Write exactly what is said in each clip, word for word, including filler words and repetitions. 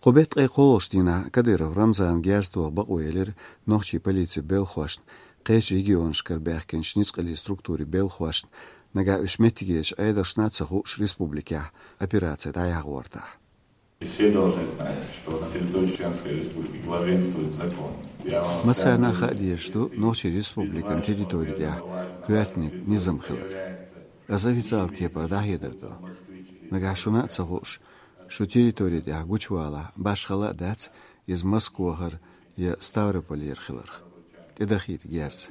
Кху беттан ткъе кхоалгӀачу дийнахь Кадыров Рамзана герз тоха бакъо елира нохчийн полицин белхахошна, кхечу регионашкара баьхкинчу ницкъаллин структурийн белхахошна, нагахь уьш меттигерчу Ӏедалшна а ца хууш республикехь операци дӀаяхьа гӀортахь. Все должны знать, что на территории Чеченской Республики главенствует закон. Я вам Массарна а хаа дезаш ду нохчийн республикан территори тӀехь коьртаниг низам хилар. Ас официалан кепара дӀахьедар до. Нагахь шуна а ца хууш, шу территори тӀехь гучувалахь, башхалла а дац иза Москвахара я Ставрополера хиларх. ТӀедахийта герз.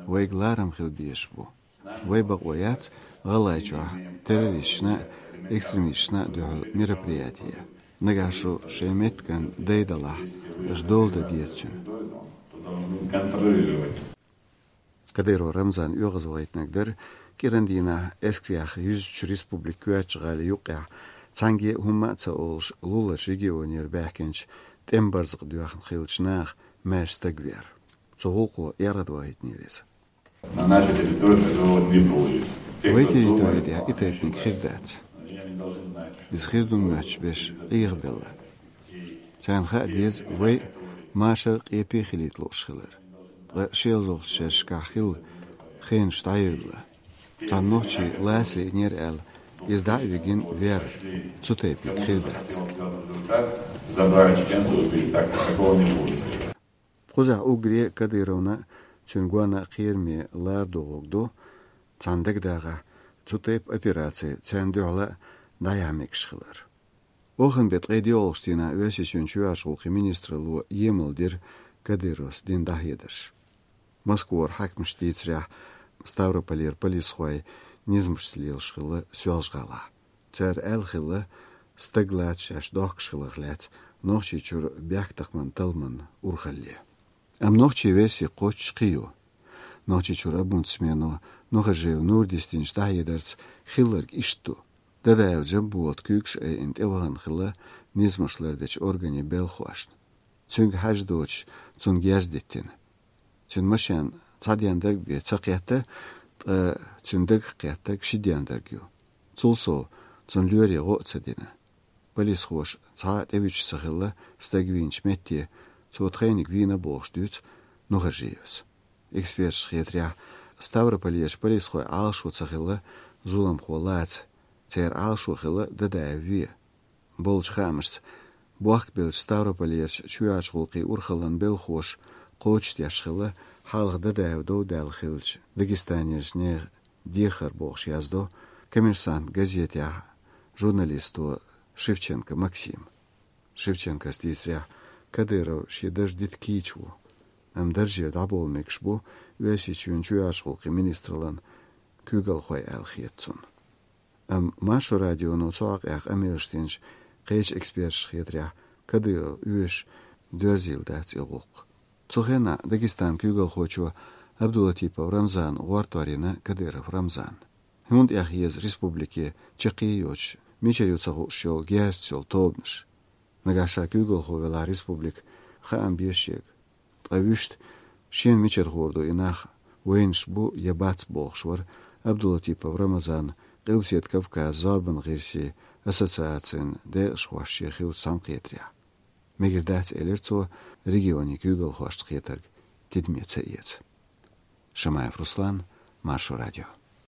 Вайга ларам хила безаш бу. Вай бакъо яц ГӀалгӀайчохь террористашна а, экстремисташна а дуьхьал мероприятие. Нагахь шу шайн меттиган дай далахь, аша дола дан деза цуьнан. Кадыров Рамзан оьгӀазвахийтинарг дара кӀиран дийнахь эскарех юьзначу республикан коьртачу гӀалин юккъехь, цхьаьнгге а хӀумма а ца олуш, луларчу регионера баьхкинчу тӀеман барзакъ доьхна хиллачу наха маьрша стаг вер. Цу гӀуллакхо яргӀадвахийтинера иза. На нашей территории такого не было. Те, Вай кто территори думает, тӀехь и тайпаниг хир дац. Они не должны знать, что Иза хир ду моьттуш берш Ӏехабелла. Царна хаа деза вай машар къепе хилийта лууш хилар. Ткъа шелзалгӀачу шерашкахь хилла хенаш дӀайевлла. Цхьана нохчийн ласа лиънера аьлла, иза дӀа а вигина вер, цу тайпаниг хир дац. Забрали чеченцев, убили. Так, такого не будет. Кхузахь уггаре Кадыровна а, цуьнан гонна а кхераме лара догӀург ду, цхьана дагадогӀахь, цу тайпа операци царна дуьхьал а дӀаяхьа мегаш хилар. Оханан беттан ткъе доьалгӀачу дийнахь Оьрсийчоьнан чоьхьарчу гӀуллакхийн министралло емал дира Кадыровс дина дӀахьедарш. Москвара хьаькамаша дийцарехь, Ставрополера полисхой низамашца лелаш хилла Соьлжа-ГӀалахь. Цара аьлла хилла, стаг лаца шаьш дохкуш хиларх лаьцна Нохчийчуьра бехктакхаман талламан урхалле. Амма нохчийн верси кхоччуш кхин ю. Нохчийчуьра омбудсмено Нухажиев Нура дисдинчу дӀахьедарца хилларг иштта ду: Дадаев Джамболат куьйгаш айина тӀевахана хилла низамаш лардечу органийн белхахошна. Цуьнга хьажа доцуш, цунна герз диттина. Цуьнан машен цхьа дендарг бен ца кхетта, ткъа цуьнан дагах кхеттарг ши дендарг ю. Цул сов, цунна лоьре гӀо а ца дина. Полисхоша цхьа а тӀевуьтуш ца хилла стаг вийначу метте, цо тхайниг вийна бохуш дуьйцу Нухажиевс. Эксперташна хетарехь, Ставрополерчу полисхойн Ӏалашо ца хилла зуламхо лаца, церан Ӏалашо хилла Дадаев вен. Болчу хаамашца, бохкабеллачу Ставрополерчу чоьхьарчу гӀуллакхийн урхаллан белхахоша кхочушдеш хилла хьалха Дадаев дов даьлла хиллачу Дагестанерчу нехан дехар, бохуш яздо «Коммерсант» газетехь журналисто Шевченко Максима. Шевченкос дийцарехь, Кадыров шен дарж дита кийча ву, амма даржера дӀабовла мегаш бу Оьрсийчоьнан чоьхьарчу гӀуллакхийн министраллан куьйгалхой аьлла хета цунна. Амма Маршо радионо цу хьокъехь къамелаш динчу кхечу эксперташна хетарехь, Кадыров оьшуш доьрзийла дац и гӀуллакх. Цу хенахь Дагестанан куьйгалхочо Абдулатипов Рамзана гӀортор йина Кадыров Рамзанна. ХӀунда эхь еза республике чаккхе а йоцуш, мичара ю ца хууш йолу герзаца йолу тобанаш? Нагахь ша куьйгалхо велахь республика, хаам бе шега. Ткъа вуьшта шена мичара хуур ду и нах, вайнаш бу я бац бохуш вара Абдулатипов Рамазан Къилбаседа Кавказан зорбан гӀирсийн ассоциацин декъашхошца хиллачу цхьаьнакхетарехь. Мегар дац, элира цо, регионийн куьйгалхошца кхетарг тидаме ца эца. Шамаев Руслан, Маршо радио.